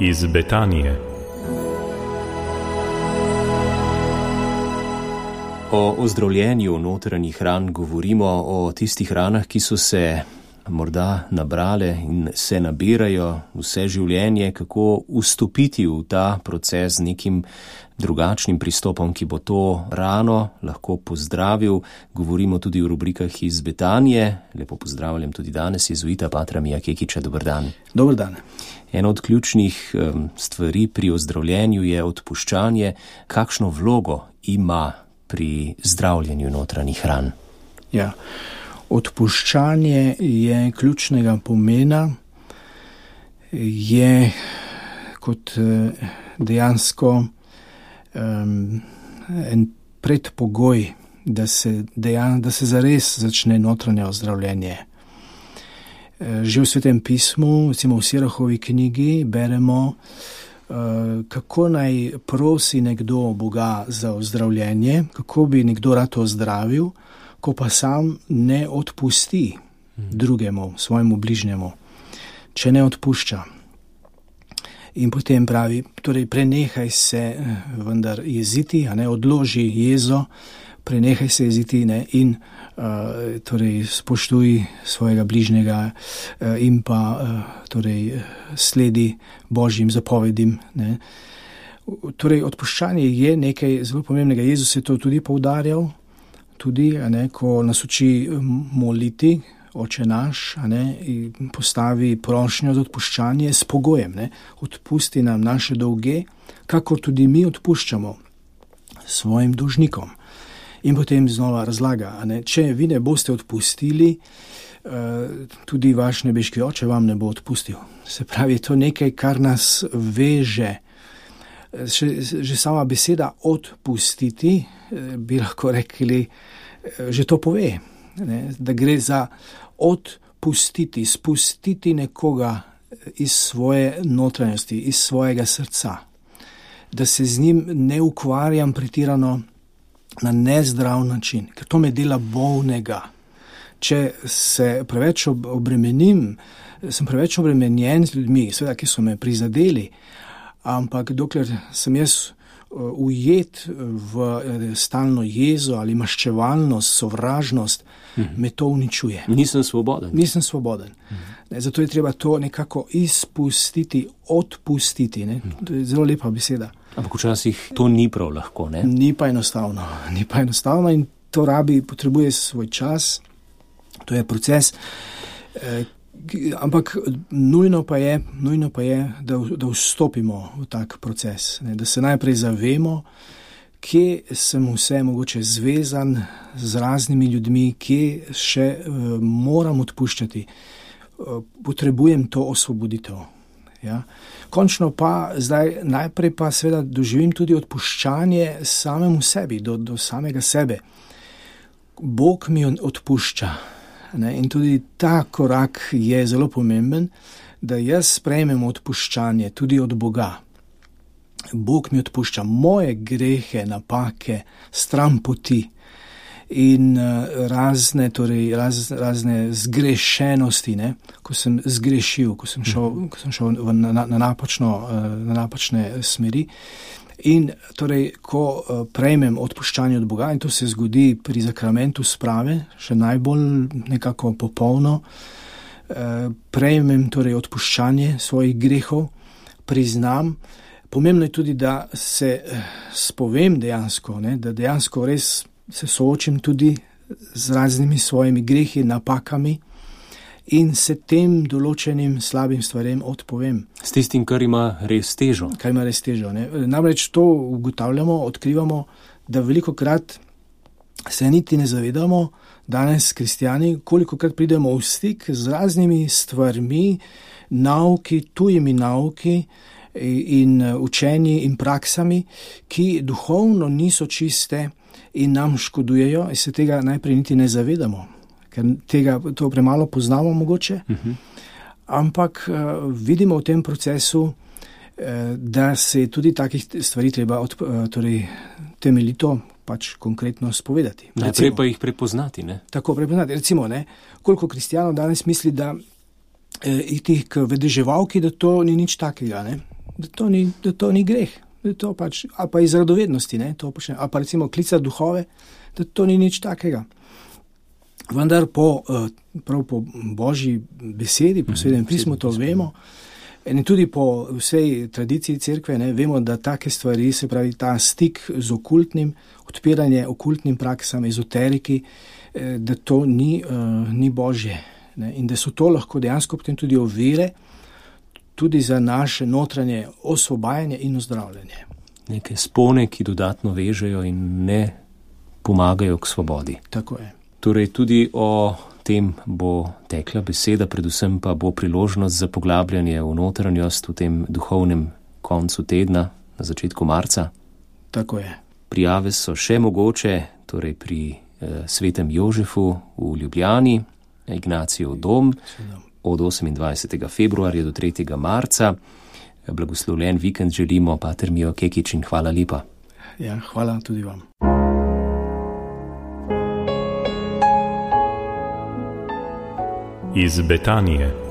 iz Betanije. O ozdravljenju notranjih ran govorimo, o tistih ranah, ki so se morda nabrale in se nabirajo vse življenje, kako vstopiti v ta proces z nekim drugačnim pristopom, ki bo to rano lahko pozdravil. Govorimo tudi o rubrikah iz Betanije. Lepo pozdravljam tudi danes jezuita patra Mija Kekiča. Dober dan. Dober dan. Ena od ključnih stvari pri ozdravljenju je odpuščanje. Kakšno vlogo ima pri zdravljenju notranjih ran? Ja, odpuščanje je ključnega pomena, je kot dejansko en predpogoj, da se zares začne notranje ozdravljenje. Že v Svetem pismu, recimo v Sirahovi knjigi, beremo, kako naj prosi nekdo Boga za ozdravljenje, kako bi nekdo rad ozdravil, ko pa sam ne odpusti drugemu, svojemu bližnjemu, če ne odpušča. In potem pravi, torej prenehaj se vendar jeziti, odloži jezo, prenehaj se jeziti in torej spoštuj svojega bližnjega in pa torej sledi Božjim zapovedim. Torej odpuščanje je nekaj zelo pomembnega. Jezus je to tudi poudarjal, tudi ko nas uči moliti, Oče naš, in postavi prošnjo za odpuščanje s pogojem, odpusti nam naše dolge, kakor tudi mi odpuščamo svojim dolžnikom. In potem znova razlaga, če vi ne boste odpustili, tudi vaš nebeški Oče vam ne bo odpustil. Se pravi, to nekaj, kar nas veže. Že sama beseda odpustiti, bi lahko rekli, že to pove, da gre za odpustiti, spustiti nekoga iz svoje notranjosti, iz svojega srca, da se z njim ne ukvarjam pretirano na nezdrav način, ker to me dela bolnega. Če se preveč obremenim, sem preveč obremenjen z ljudmi, seveda, ki so me prizadeli, ampak dokler sem jaz ujet v stalno jezo ali maščevalnost, sovražnost, me to uničuje. Nisem svoboden. Zato je treba to nekako izpustiti, odpustiti. To je zelo lepa beseda. Ampak včasih to ni prav lahko, ne? Ni pa enostavno in to potrebuje svoj čas. To je proces, ampak nujno pa je, da vstopimo v tak proces, da se najprej zavemo, kje sem vse mogoče zvezan z raznimi ljudmi, kje še moram odpuščati. Potrebujem to osvoboditev. Ja. Končno pa zdaj najprej pa seveda doživim tudi odpuščanje samemu sebi, do samega sebe. Bog mi odpušča. In tudi ta korak je zelo pomemben, da jaz sprejmem odpuščanje tudi od Boga. Bog mi odpušča moje grehe, napake, stran poti in razne zgrešenosti, ko sem zgrešil, ko sem šel na napačne smeri. In torej, ko prejmem odpuščanje od Boga, in to se zgodi pri zakramentu sprave, še najbolj nekako popolno, prejmem torej odpuščanje svojih grehov, priznam. Pomembno je tudi, da se spovem dejansko, da dejansko res se soočim tudi z raznimi svojimi grehi, napakami in se tem določenim slabim stvarem odpovem. S tistim, kar ima res težo. Namreč to ugotavljamo, odkrivamo, da velikokrat se niti ne zavedamo, danes kristjani, kolikokrat pridemo v stik z raznimi stvarmi, nauki, tujimi nauki in učenji in praksami, ki duhovno niso čiste in nam škodujejo, in se tega najprej niti ne zavedamo, ker to premalo poznamo mogoče, ampak vidimo v tem procesu, da se je tudi takih stvari treba temeljito konkretno spovedati. Najprej pa jih prepoznati, ne? Tako, prepoznati. Recimo, koliko kristijanov danes misli, da iti k vedeževalki, da to ni nič takega, da to ni greh, da to pač, ali pa iz radovednosti, ne, to počne, ali pa recimo klica duhove, da to ni nič takega. Vendar prav po Božji besedi, po Svetem pismu to vemo, in tudi po vsej tradiciji cerkve, ne, vemo, da take stvari, se pravi ta stik z okultnim, odpiranje okultnim praksam, ezoteriki, da to ni Božje, ne, in da so to lahko dejansko potem tudi ovire, tudi za naše notranje osvobajanje in ozdravljanje. Neke spone, ki dodatno vežejo in ne pomagajo k svobodi. Tako je. Torej tudi o tem bo tekla beseda, predvsem pa bo priložnost za poglabljanje v notranjost v tem duhovnem koncu tedna, na začetku marca. Tako je. Prijave so še mogoče, torej pri Svetem Jožefu v Ljubljani, Ignacijev dom, od 28. februarja do 3. marca. Blagoslovljen vikend želimo, pater Mijo Kekič, in hvala lepa. Ja, hvala tudi vam. Iz Betanije.